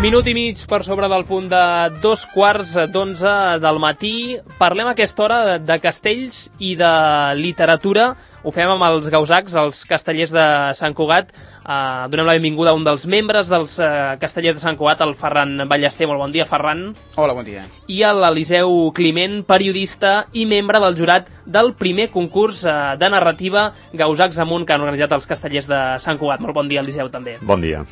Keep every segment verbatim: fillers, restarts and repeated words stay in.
Minut i mig per sobre del punt de dos quarts d'onze del matí. Parlem a aquesta hora de castells i de literatura. Ho fem amb els gausacs, els castellers de Sant Cugat. Uh, donem la benvinguda a un dels membres dels uh, castellers de Sant Cugat, el Ferran Ballester. Molt bon dia, Ferran. Hola, bon dia. I a l'Eliseu Climent, periodista i membre del jurat del primer concurs uh, de narrativa Gausacs Amunt que han organitzat els castellers de Sant Cugat. Molt bon dia, Eliseu, també. Bon dia.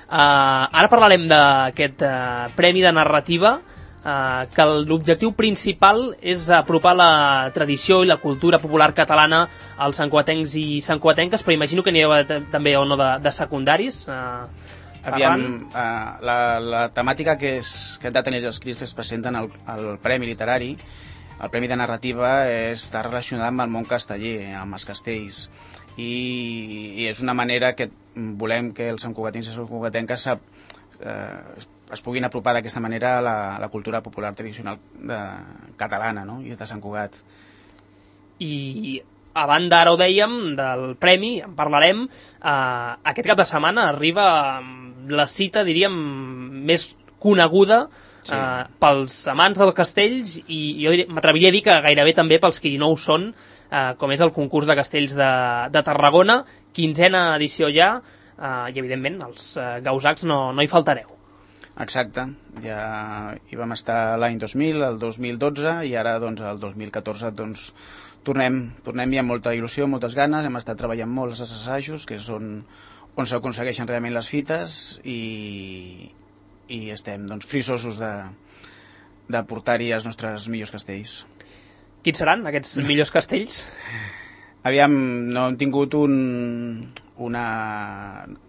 Uh, ara parlarem d'aquest uh, premi de narrativa, uh, que l'objectiu principal és apropar la tradició i la cultura popular catalana als santcugatencs i santcugatenques, però imagino que n'hi ha també o no de, de secundaris. Uh, Aviam, uh, la, la temàtica que, és, que han de tenir els escrits que es presenten al, al Premi Literari, el Premi de Narrativa, està relacionat amb el món casteller, amb els castells. I, i és una manera que volem que els santcugatins i santcugatenques eh, es puguin apropar d'aquesta manera a la, a la cultura popular tradicional de, catalana, no? I de Sant Cugat. I a banda, ara ho dèiem, del premi, en parlarem, eh, aquest cap de setmana arriba la cita, diríem, més coneguda sí. eh, pels amants dels castells i jo m'atreviria a dir que gairebé també pels qui no ho són, Uh, com és el concurs de castells de, de Tarragona, quinzena edició ja, uh, i evidentment els uh, gausacs no, no hi faltareu. Exacte, ja hi vam estar l'any dos mil, el dos mil dotze, i ara doncs, el dos mil catorze doncs, tornem, tornem i amb molta il·lusió, moltes ganes, hem estat treballant molt els assajos, que és on, on s'aconsegueixen realment les fites, i, i estem doncs, frisosos de, de portar-hi els nostres millors castells. Quins seran aquests millors castells? Aviam, no hem tingut un, una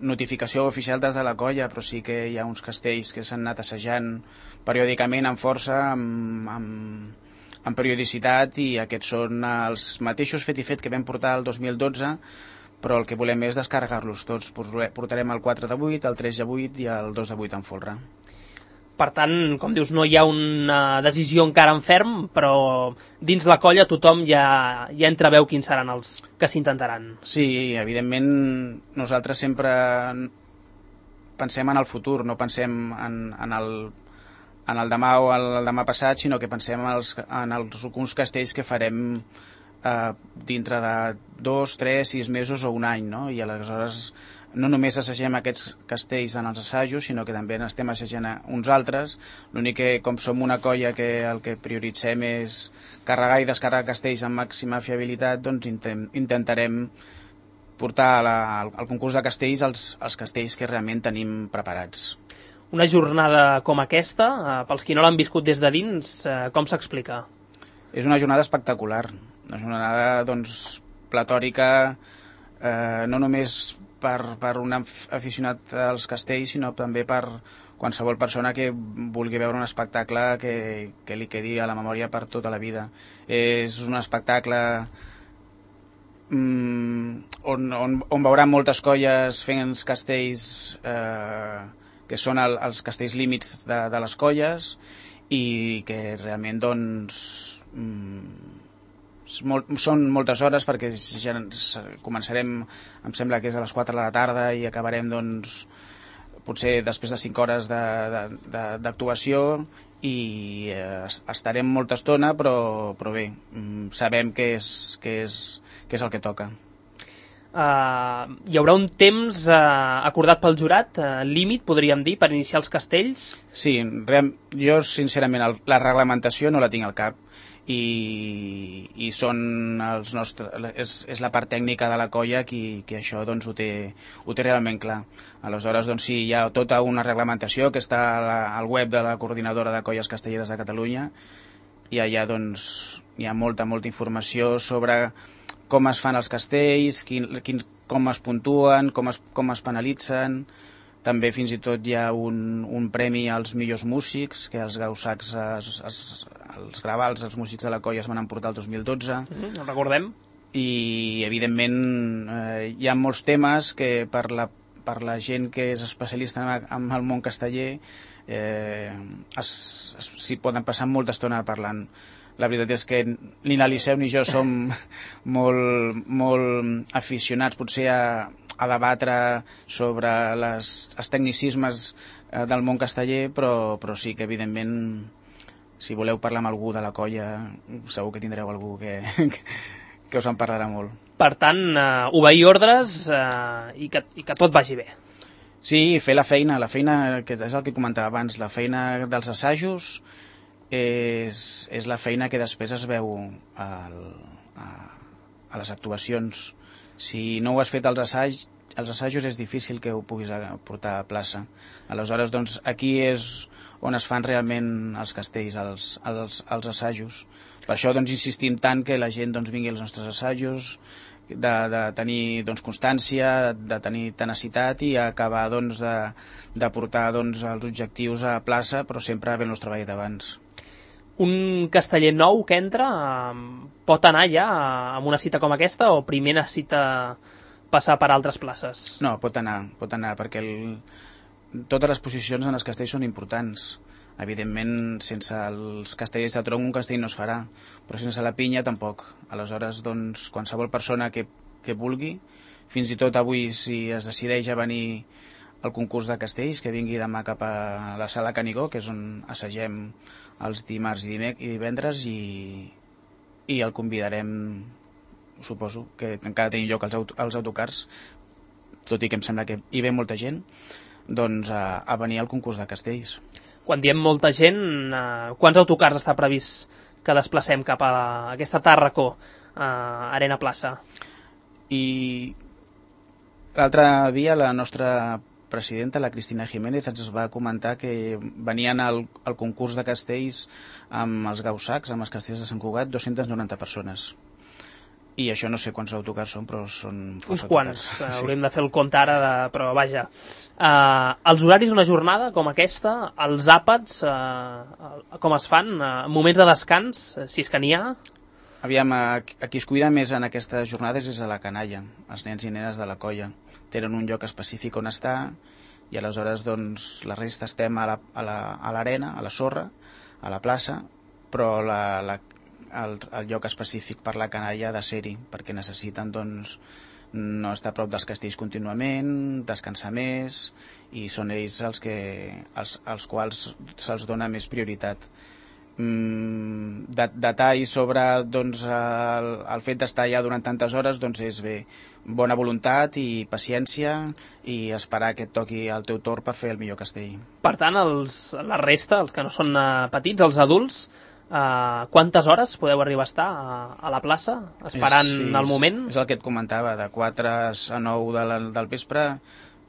notificació oficial des de la colla, però sí que hi ha uns castells que s'han anat assajant periòdicament amb força, amb, amb, amb periodicitat, i aquests són els mateixos fet i fet que vam portar el dos mil dotze, però el que volem és descarregar-los tots. Portarem el quatre de vuit, el tres de vuit i el dos de vuit en folre. Per tant, com dius, no hi ha una decisió encara en ferm, però dins la colla tothom ja, ja entreveu quins seran els que s'intentaran. Sí, evidentment nosaltres sempre pensem en el futur, no pensem en, en, el, en el demà o el, el demà passat, sinó que pensem en els, en els alguns castells que farem eh, dintre de dos, tres, sis mesos o un any, no? I aleshores no només assagem aquests castells en els assajos, sinó que també n'estem assajant uns altres. L'únic que, com som una colla que el que prioritzem és carregar i descarregar castells amb màxima fiabilitat, doncs intem, intentarem portar la, al, al concurs de castells els, els castells que realment tenim preparats. Una jornada com aquesta, eh, pels qui no l'han viscut des de dins, eh, com s'explica? És una jornada espectacular, una jornada doncs, platòrica, eh, no només per, per un aficionat als castells, sinó també per qualsevol persona que vulgui veure un espectacle que, que li quedi a la memòria per tota la vida. És un espectacle mm, on, on, on veurà moltes colles fent els castells eh, que són el, els castells límits de, de les colles, i que realment doncs mm, Molt, són moltes hores, perquè ja començarem, em sembla que és a les quatre de la tarda, i acabarem doncs, potser després de cinc hores d'actuació, i eh, estarem molta estona, però, però bé, sabem que és, que és, que és el que toca. Uh, hi haurà un temps uh, acordat pel jurat, uh, límit, podríem dir, per iniciar els castells? Sí, jo sincerament el, la reglamentació no la tinc al cap, i, i són els nostres, és, és la part tècnica de la colla qui, qui això doncs, ho, té, ho té realment clar. Aleshores doncs, sí, hi ha tota una reglamentació que està la, al web de la Coordinadora de Colles Castelleres de Catalunya, i allà doncs, hi ha molta, molta informació sobre com es fan els castells, quin, quin, com es puntuen, com es, com es penalitzen. També fins i tot hi ha un, un premi als millors músics, que els gausacs, es, es, els gravals, els músics de la colla es van emportar el dos mil dotze. Mm, el recordem. I, evidentment, eh, hi ha molts temes que per la, per la gent que és especialista en, en el món casteller eh, s'hi poden passar molta estona parlant. La veritat és que ni l'Eliseu ni jo som molt, molt aficionats potser a, a debatre sobre les, els tecnicismes eh, del món casteller, però, però sí que evidentment si voleu parlar amb algú de la colla segur que tindreu algú que, que us en parlarà molt. Per tant, eh, obeir ordres eh, i, que, i que tot vagi bé. Sí, fer la feina, la feina que és el que comentava abans, la feina dels assajos és, és la feina que després es veu al, a, a les actuacions. Si no ho has fet als assajos, els assajos és difícil que ho puguis portar a plaça. Aleshores, doncs, aquí és on es fan realment els castells, els, els, els assajos. Per això doncs, insistim tant que la gent doncs, vingui als nostres assajos, de, de tenir doncs, constància, de tenir tenacitat i acabar doncs, de, de portar doncs, els objectius a plaça, però sempre havent-los treballat abans. Un casteller nou que entra eh, pot anar ja a una cita com aquesta o primer necessita passar per altres places? No, pot anar, pot anar perquè el, totes les posicions en els castells són importants. Evidentment, sense els castellers de tronc un castell no es farà, però sense la pinya tampoc. Aleshores, doncs, qualsevol persona que, que vulgui, fins i tot avui si es decideix a venir al concurs de castells, que vingui demà cap a la sala Canigó, que és on assagem els dimarts i divendres, i, i el convidarem, suposo, que encara tenim lloc als, aut als autocars, tot i que em sembla que hi ve molta gent, doncs a, a venir al concurs de castells. Quan diem molta gent, eh, quants autocars està previst que desplacem cap a la, aquesta Tàrraco, eh, Arena Plaça? I l'altre dia la nostra presidenta, la Cristina Jiménez, ens va comentar que venien al, al concurs de castells amb els gausacs, amb els castells de Sant Cugat, dues-centes noranta persones. I això no sé quants autocars són, però són força uns quants, autocars. sí. Haurem de fer el compte ara, de... però vaja. Uh, els horaris d'una jornada com aquesta, els àpats, uh, com es fan? Uh, moments de descans, si és que n'hi ha? Aviam, a, a qui es cuida més en aquestes jornades és a la canalla, els nens i nenes de la colla. Tenen un lloc específic on estar i aleshores doncs, la resta estem a l'arena, la, a, la, a la sorra, a la plaça, però la, la El, el lloc específic per la canalla de ser-hi, perquè necessiten doncs, no estar a prop dels castells contínuament, descansar més, i són ells els, que, els, els quals se'ls dona més prioritat. Mm, de, detalls sobre doncs, el, el fet d'estar allà durant tantes hores doncs és bé, bona voluntat i paciència i esperar que et toqui el teu torn per fer el millor castell. Per tant, els, la resta, els que no són uh, petits, els adults, Uh, quantes hores podeu arribar a estar a, a la plaça esperant sí, el moment? És el que et comentava, de quatre a nou de la, del vespre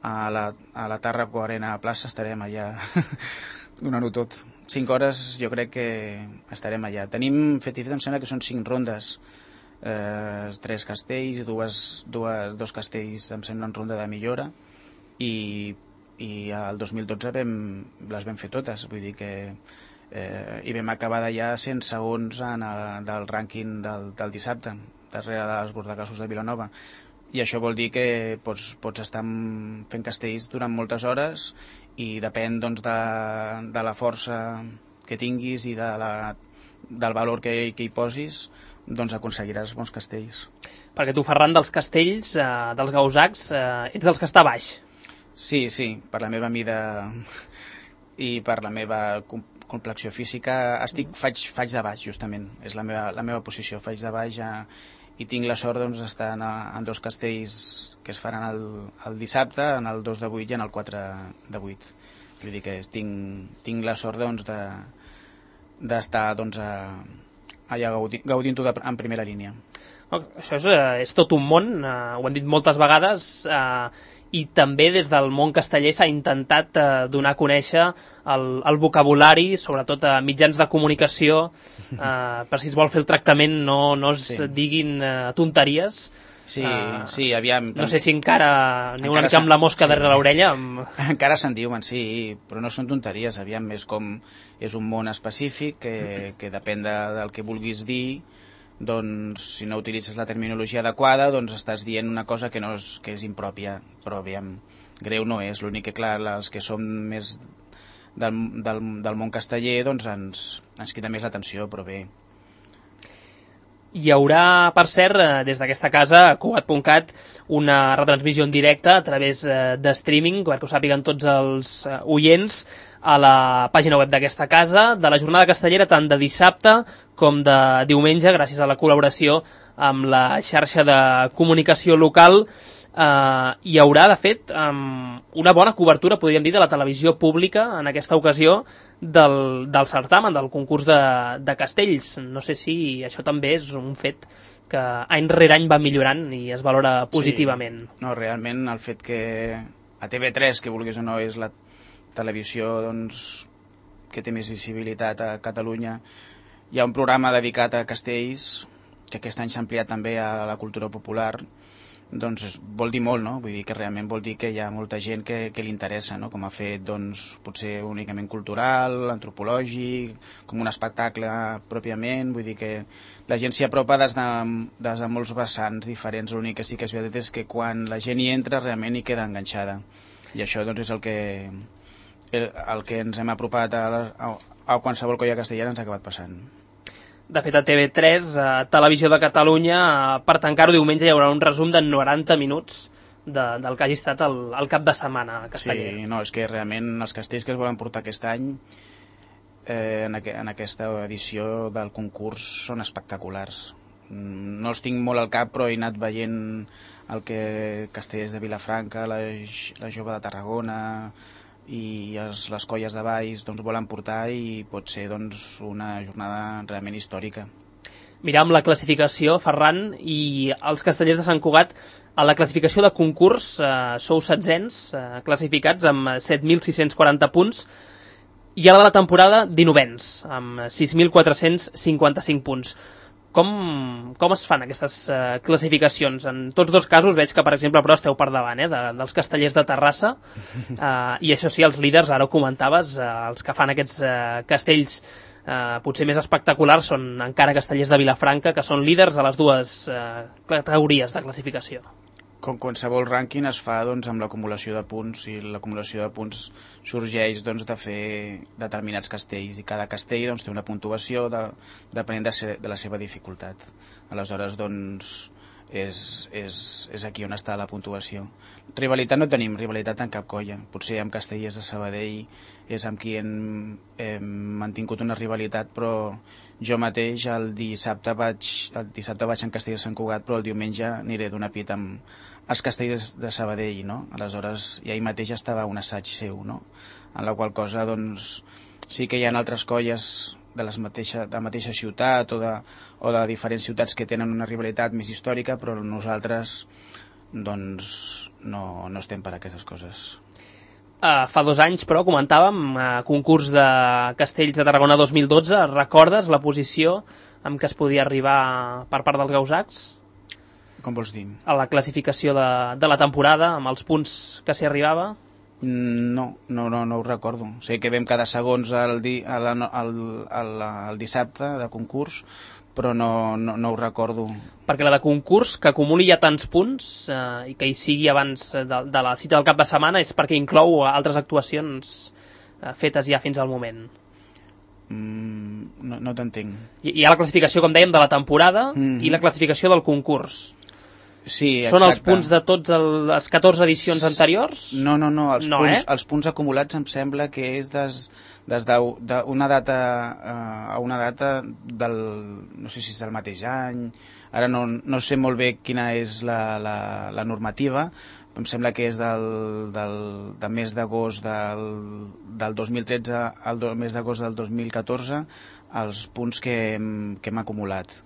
a la, a la Tàrraco Arena a plaça estarem allà donant-ho tot. Cinc hores jo crec que estarem allà. Tenim fet i fet, em sembla que són cinc rondes, eh, tres castells i dues, dues, dos castells em sembla en ronda de millora i, i el dos mil dotze vam, les vam fer totes, vull dir que Eh, i vam acabar d'allà cent segons en el, del rànquing del, del dissabte, darrere dels bordegassos de Vilanova, i això vol dir que pots, pots estar fent castells durant moltes hores i depèn doncs, de, de la força que tinguis i de la, del valor que, que hi posis, doncs aconseguiràs bons castells. Perquè tu, Ferran, dels castells, eh, dels gausacs, eh, ets dels que està baix. Sí, sí, per la meva mida i per la meva complexió física estic, faig, faig de baix justament, és la meva, la meva posició, faig de baix a, i tinc la sort doncs, d'estar en, en dos castells que es faran el, el dissabte, en el dos de vuit i en el quatre de vuit. Vull dir que tinc, tinc la sort doncs, de, d'estar doncs, a, allà gaudint, gaudint-ho en primera línia. Això és, és tot un món, eh, ho hem dit moltes vegades, eh, i també des del món casteller s'ha intentat eh, donar a conèixer el, el vocabulari, sobretot a mitjans de comunicació, eh, per si es vol fer el tractament no, no es sí. diguin eh, tonteries. Sí, uh, sí, aviam... No sé si encara aneu una mica amb la mosca sí. darrere l'orella. Amb... Encara se'n diuen, sí, però no són tonteries, aviam, és com... És un món específic que, que depèn de, del que vulguis dir, doncs si no utilitzes la terminologia adequada, doncs estàs dient una cosa que, no és, que és impròpia, però aviam, greu no és, l'únic que, clar, els que som més del, del, del món casteller, doncs ens, ens crida més l'atenció, però bé. Hi haurà, per cert, eh, des d'aquesta casa, a Cugat punt cat, una retransmissió en directe a través eh, de streaming, perquè ho sàpiguen tots els eh, oients, a la pàgina web d'aquesta casa, de la jornada castellera, tant de dissabte com de diumenge, gràcies a la col·laboració amb la xarxa de comunicació local. Uh, hi haurà, de fet, um, una bona cobertura, podríem dir, de la televisió pública en aquesta ocasió del, del certamen, del concurs de, de castells. No sé si això també és un fet que any rere any va millorant i es valora positivament. Sí. No, realment el fet que a T V tres, que vulguis o no, és la televisió doncs, que té més visibilitat a Catalunya, hi ha un programa dedicat a castells, que aquest any s'ha ampliat també a la cultura popular, doncs vol dir molt, no? Vull dir que realment vol dir que hi ha molta gent que, que li interessa, no? Com ha fet, doncs, potser únicament cultural, antropològic, com un espectacle pròpiament, vull dir que la gent s'hi apropa des de, des de molts vessants diferents. L'únic que sí que és veritat és que quan la gent hi entra realment hi queda enganxada, i això doncs és el que, el, el que ens hem apropat a, a, a qualsevol colla castellana ens ha acabat passant. De fet, a T V tres, a Televisió de Catalunya, per tancar-ho diumenge hi haurà un resum de noranta minuts de, del que hagi estat el, el cap de setmana casteller. Sí, no, és que realment els castells que es volen portar aquest any eh, en, aqu en aquesta edició del concurs són espectaculars. No els tinc molt al cap, però he anat veient el que castellers de Vilafranca, la, la Jove de Tarragona i els, les colles de Valls doncs, volen portar, i pot ser doncs, una jornada realment històrica. Miram la classificació, Ferran, i els castellers de Sant Cugat, a la classificació de concurs eh, sou setzents eh, classificats amb set mil sis-cents quaranta punts, i a la de la temporada dinovens, amb sis mil quatre-cents cinquanta-cinc punts. Com, com es fan aquestes uh, classificacions? En tots dos casos veig que, per exemple, però esteu per davant eh, de, dels castellers de Terrassa, uh, i això sí, els líders, ara ho comentaves, uh, els que fan aquests uh, castells uh, potser més espectaculars són encara castellers de Vilafranca, que són líders de les dues uh, categories de classificació. Com qualsevol rànquing es fa doncs, amb l'acumulació de punts, i l'acumulació de punts sorgeix doncs, de fer determinats castells, i cada castell doncs, té una puntuació de, depenent de, ser, de la seva dificultat. Aleshores doncs, és, és, és aquí on està la puntuació. Rivalitat no tenim, rivalitat en cap colla. Potser amb castellers de Sabadell és amb qui hem, hem mantingut una rivalitat, però jo mateix el dissabte vaig, el dissabte vaig en Castell de Sant Cugat, però el diumenge aniré d'una pit amb els castellers de Sabadell, no? Aleshores, i ahir mateix estava un assaig seu, no? En la qual cosa, doncs, sí que hi ha altres colles de, les mateixa, de la mateixa ciutat o de, o de diferents ciutats que tenen una rivalitat més històrica, però nosaltres, doncs, no, no estem per a aquestes coses. Uh, fa dos anys, però, comentàvem, uh, concurs de Castells de Tarragona dos mil dotze, recordes la posició amb què es podia arribar per part dels gausacs? Com vols dir? A la classificació de, de la temporada, amb els punts que s'hi arribava? No, no, no, no ho recordo. Sé que vam quedar segons el, di, el, el, el, el dissabte de concurs, però no, no, no ho recordo. Perquè la de concurs, que acumuli ja tants punts eh, i que hi sigui abans de, de la cita del cap de setmana, és perquè inclou altres actuacions eh, fetes ja fins al moment. Mm, no no t'entenc. Hi, hi ha la classificació, com dèiem, de la temporada mm-hmm. i la classificació del concurs. Sí, són els punts de tots el, les catorze edicions anteriors? No, no, no, els, no punts, eh? els punts acumulats em sembla que és des, des d'una data uh, a una data del, no sé si és del mateix any, ara no, no sé molt bé quina és la, la, la normativa, em sembla que és del, del, del mes d'agost del, del dos mil tretze al do, mes d'agost del dos mil catorze, els punts que hem, que hem acumulat.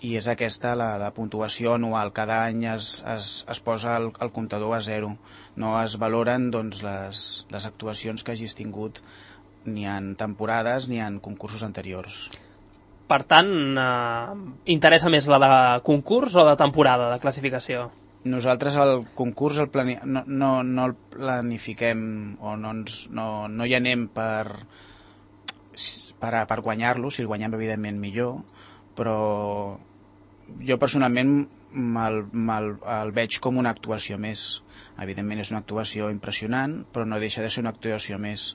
I és aquesta la, la puntuació anual. Cada any es, es, es posa el, el comptador a zero. No es valoren doncs, les, les actuacions que hagis tingut ni en temporades ni en concursos anteriors. Per tant, eh, interessa més la de concurs o de temporada, de classificació? Nosaltres el concurs el plani... no, no, no el planifiquem o no, ens, no, no hi anem per, per, per guanyar-lo. Si el guanyem, evidentment, millor, però jo personalment me'l, me'l, el veig com una actuació més. Evidentment és una actuació impressionant, però no deixa de ser una actuació més.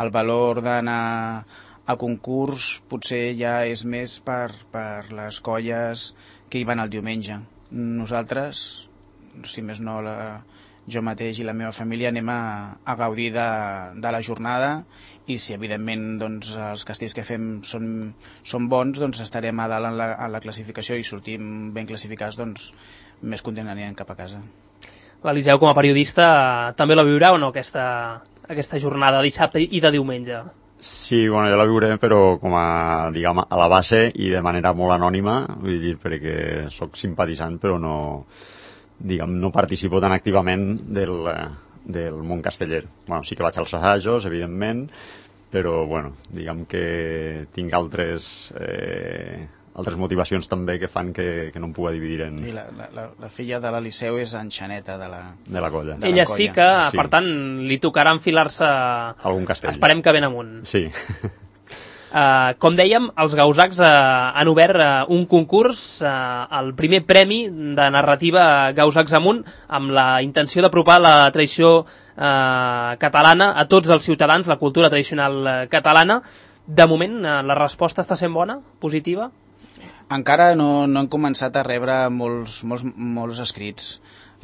El valor d'anar El concurs potser ja és més per, per les colles que hi van el diumenge. Nosaltres, si més no, la, jo mateix i la meva família anem a, a gaudir de, de la jornada, i si evidentment doncs, els castells que fem són, són bons, doncs estarem a dalt en la, en la classificació, i sortim ben classificats, doncs més content anirem cap a casa. L'Eliseu, com a periodista, també la viurà o no, aquesta, aquesta jornada de dissabte i de diumenge? Sí, bueno, jo la viuré, però com a, diguem, a la base i de manera molt anònima, vull dir, perquè sóc simpatitzant, però no, diguem, no participo tan activament del, del món casteller. Bueno, sí que vaig als assajos, evidentment, però, bueno, diguem que tinc altres... Eh, altres motivacions també que fan que, que no em pugui dividir en... Sí, la, la, la filla de l'Eliseu és enxaneta de la, de la colla. De Ella la colla. Sí que, sí. Per tant, li tocarà enfilar-se... Algun castell. Esperem que ben amunt. Sí. Uh, com dèiem, els Gausacs uh, han obert uh, un concurs, uh, el primer premi de narrativa Gausacs amunt, amb la intenció d'apropar la tradició uh, catalana a tots els ciutadans, la cultura tradicional uh, catalana. De moment, uh, la resposta està sent bona, positiva? Encara no, no han començat a rebre molts, molts, molts escrits.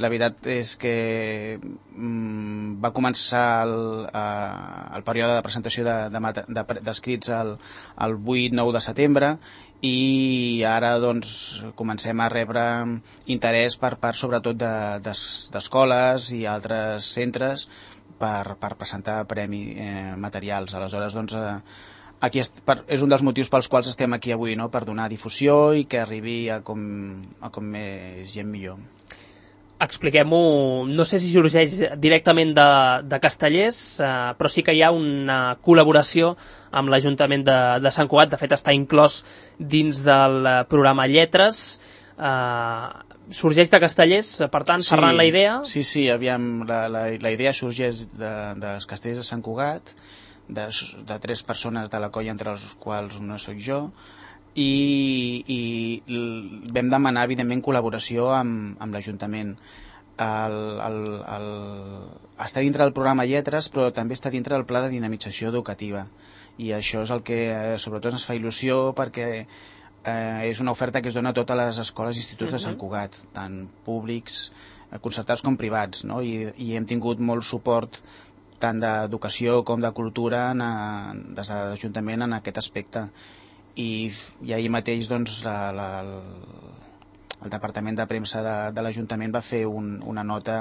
La veritat és que mm, va començar el, eh, el període de presentació d'escrits de, de, de, el, el vuit nou de setembre, i ara doncs, comencem a rebre interès per part sobretot d'escoles de, i altres centres per, per presentar premi eh, materials. Aleshores, doncs, eh, Aquí és, per, és un dels motius pels quals estem aquí avui, no? Per donar difusió i que arribi a com, a com més gent millor. Expliquem-ho, no sé si sorgeix directament de, de Castellers, eh, però sí que hi ha una col·laboració amb l'Ajuntament de, de Sant Cugat. De fet, està inclòs dins del programa Lletres. Eh, sorgeix de Castellers, per tant, sí, Ferran, la idea? Sí, sí, aviam, la, la, la idea sorgeix de, dels Castellers de Sant Cugat, De, de tres persones de la colla, entre les quals una soc jo, i, i vam demanar evidentment col·laboració amb, amb l'Ajuntament. El, el, el, està dintre del programa Lletres, però també està dintre del pla de dinamització educativa, i això és el que eh, sobretot ens fa il·lusió, perquè eh, és una oferta que es dona a totes les escoles i instituts uh-huh. de Sant Cugat, tant públics, concertats com privats, no? I, i hem tingut molt suport tant d'educació com de cultura en, des de l'Ajuntament en aquest aspecte. I, i ahir mateix doncs, la, la, el, el Departament de Premsa de, de l'Ajuntament va fer un, una nota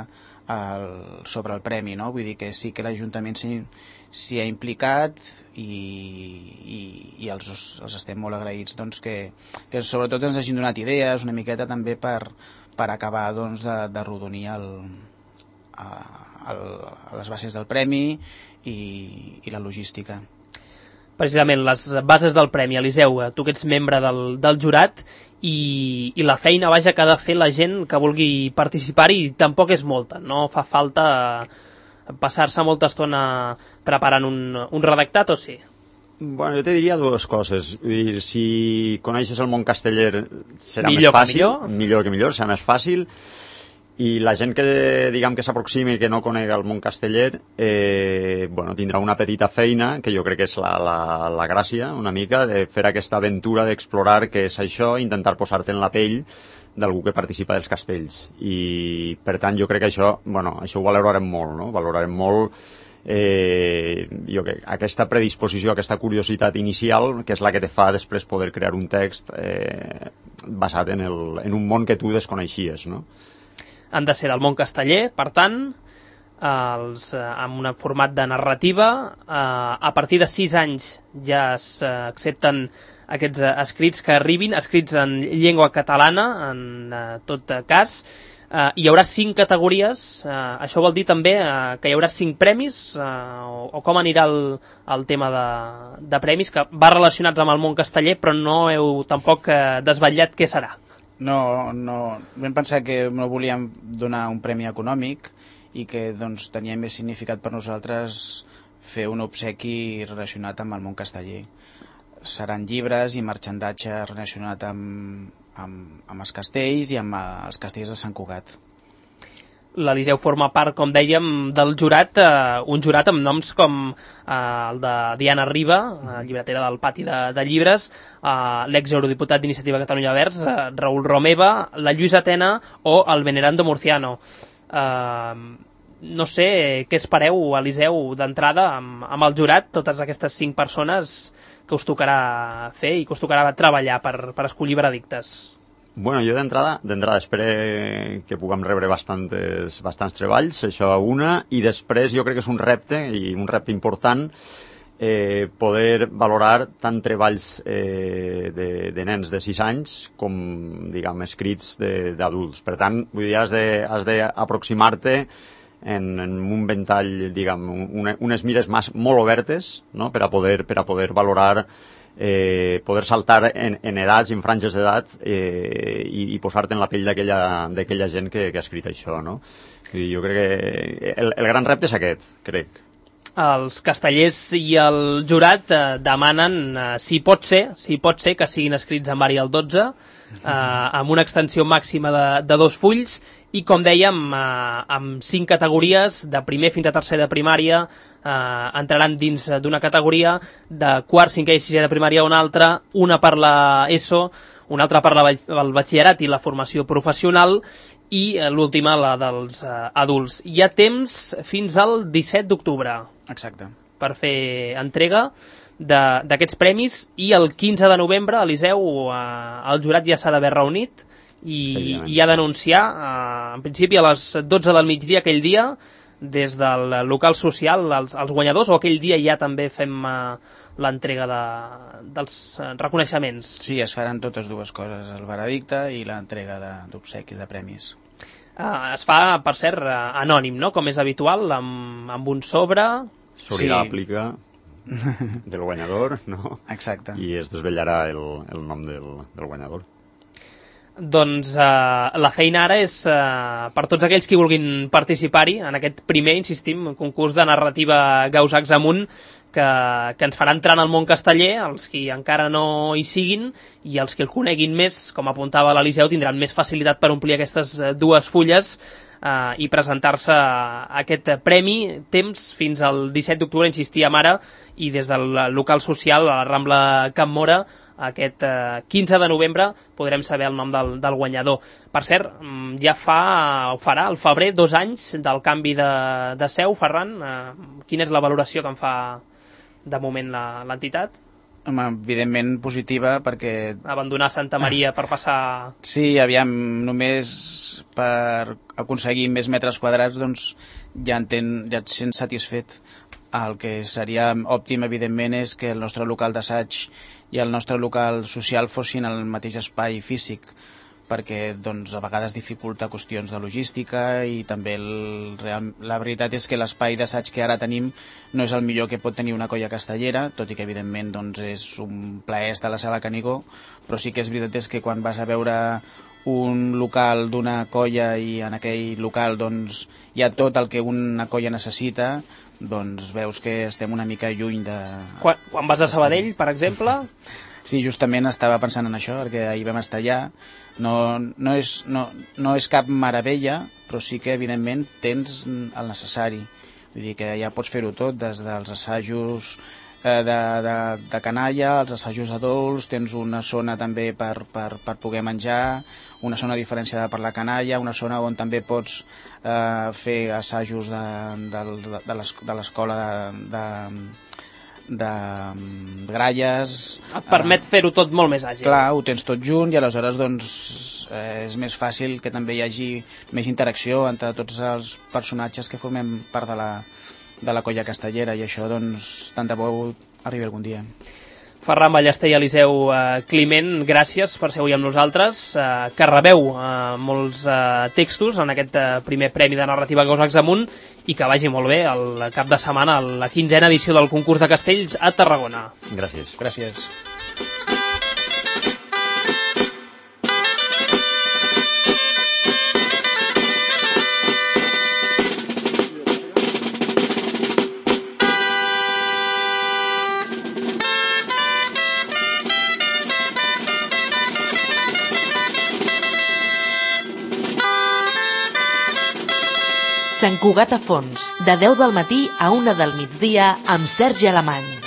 el, sobre el premi, no? Vull dir que sí que l'Ajuntament s'hi ha implicat, i, i, i els, els estem molt agraïts, doncs, que, que sobretot ens hagin donat idees una miqueta també per, per acabar doncs, de, de rodonir el, el a les bases del premi i, i la logística. Precisament, les bases del premi. Eliseu, tu que ets membre del, del jurat, i, i la feina vaja que ha de fer la gent que vulgui participar-hi tampoc és molta, no fa falta passar-se molta estona preparant un, un redactat, o sí? Bueno, jo te diria dues coses. Vull dir, si coneixes el món casteller serà millor més fàcil, millor. millor que millor, serà més fàcil. I la gent que, diguem, que s'aproximi i que no conega el món casteller, eh, bueno, tindrà una petita feina, que jo crec que és la, la, la gràcia, una mica, de fer aquesta aventura d'explorar què és això, intentar posar-te en la pell d'algú que participa dels castells. I, per tant, jo crec que això, bueno, això ho valorarem molt, no? Valorarem molt eh, jo crec, aquesta predisposició, aquesta curiositat inicial, que és la que te fa després poder crear un text eh, basat en, el, en un món que tu desconeixies, no? Han de ser del món casteller, per tant, els, eh, amb un format de narrativa. Eh, a partir de sis anys ja s'accepten aquests eh, escrits que arribin, escrits en llengua catalana, en eh, tot cas. Eh, hi haurà cinc categories. Eh, això vol dir també eh, que hi haurà cinc premis, eh, o, o com anirà el, el tema de, de premis, que va relacionats amb el món casteller, però no heu tampoc eh, desvetllat què serà. No, no, vam pensar que no volíem donar un premi econòmic i que doncs, tenia més significat per nosaltres fer un obsequi relacionat amb el món casteller. Seran llibres i marxandatge relacionat amb, amb, amb els castells i amb els castells de Sant Cugat. l'Eliseu forma part, com dèiem, del jurat, eh, un jurat amb noms com eh, el de Diana Riba, eh, llibretera del Pati de, de Llibres, eh, l'ex-eurodiputat d'Iniciativa Catalunya Verds, eh, Raül Romeva, la Lluïsa Tena o el Venerando Murciano. Eh, no sé què espereu, Eliseu, d'entrada amb, amb el jurat, totes aquestes cinc persones que us tocarà fer i que us tocarà treballar per, per escollir veredictes. Bueno, jo d'entrada, d'entrada espero que puguem rebre bastantes, bastants treballs, això una, i després jo crec que és un repte, i un repte important, eh, poder valorar tant treballs eh, de, de nens de sis anys com, diguem, escrits d'adults. Per tant, vull dir, has de, has d'aproximar-te en, en un ventall, diguem, una, unes mires mas, molt obertes, no?, per a poder, per a poder valorar Eh, poder saltar en, en edats, en franges d'edat eh, i, i posar-te en la pell d'aquella gent que, que ha escrit això, no? I jo crec que el, el gran repte és aquest, crec. Els castellers i el jurat eh, demanen, eh, si pot ser, si pot ser que siguin escrits en Arial dotze, eh, amb una extensió màxima de, de dos fulls, i com dèiem, eh, amb cinc categories, de primer fins a tercer de primària, eh, entraran dins d'una categoria, de quart, cinquè i sisè de primària una altra, una per la ESO, una altra per la, el batxillerat i la formació professional, i eh, l'última, la dels eh, adults. Hi ha temps fins al disset d'octubre. Exacte. Per fer entrega d'aquests premis, i el quinze de novembre, Eliseu, eh, el jurat ja s'ha d'haver reunit i, i ha d'anunciar, eh, en principi a les dotze del migdia aquell dia, des del local social, els, els guanyadors, o aquell dia ja també fem eh, l'entrega de, dels eh, reconeixements? Sí, es faran totes dues coses, el veredicte i l'entrega d'obsequis, de, de premis. Uh, es fa, per cert, uh, anònim, no?, com és habitual, amb, amb un sobre. Sobre sí. L'àplica del guanyador, no? Exacte. I es desvetllarà el, el nom del, del guanyador. Doncs uh, la feina ara és uh, per tots aquells que vulguin participar-hi en aquest primer, insistim, concurs de narrativa Gausacs amunt, que, que ens farà entrar en el món casteller, els que encara no hi siguin, i els que el coneguin més, com apuntava l'Eliseu, tindran més facilitat per omplir aquestes dues fulles eh, i presentar-se a aquest premi. Temps fins al disset d'octubre, insistíem ara, i des del local social, a la Rambla Can Mora, aquest eh, quinze de novembre podrem saber el nom del, del guanyador. Per cert, ja fa, ho farà al febrer, dos anys del canvi de, de seu. Ferran, eh, quina és la valoració que en fa de moment l'entitat? Home, evidentment positiva, perquè... Abandonar Santa Maria per passar... Sí, aviam, només per aconseguir més metres quadrats, doncs ja, enten, ja et sents satisfet. El que seria òptim, evidentment, és que el nostre local d'assaig i el nostre local social fossin el mateix espai físic, perquè doncs, a vegades dificulta qüestions de logística, i també el, real, la veritat és que l'espai d'assaig que ara tenim no és el millor que pot tenir una colla castellera, tot i que evidentment doncs, és un plaer estar a la sala Canigó, però sí que és veritat és que quan vas a veure un local d'una colla i en aquell local doncs, hi ha tot el que una colla necessita, doncs veus que estem una mica lluny de... Quan, quan vas a Sabadell, per exemple? Sí, justament estava pensant en això, perquè ahir vam estar allà. No, no, és, no, no és cap meravella, però sí que evidentment tens el necessari. Vull dir que ja pots fer-ho tot, des dels assajos eh, de, de, de canalla, els assajos adults, tens una zona també per, per, per poder menjar, una zona diferenciada per la canalla, una zona on també pots eh, fer assajos de, de, de l'escola de, de, de, de gralles. Et permet eh, fer-ho tot molt més àgil. Clar, ho tens tot junt, i aleshores doncs, eh, és més fàcil que també hi hagi més interacció entre tots els personatges que formem part de la, de la colla castellera, i això doncs tant de bo arribi algun dia. Ferran Ballester i Eliseu eh, Climent, gràcies per ser avui amb nosaltres, eh, que rebeu eh, molts eh, textos en aquest eh, primer premi de narrativa Gausacs amunt, i que vagi molt bé el cap de setmana, la quinzena edició del concurs de castells a Tarragona. Gràcies. Gràcies. Sant Cugat a Fons, de deu del matí a una del migdia amb Sergi Alemany.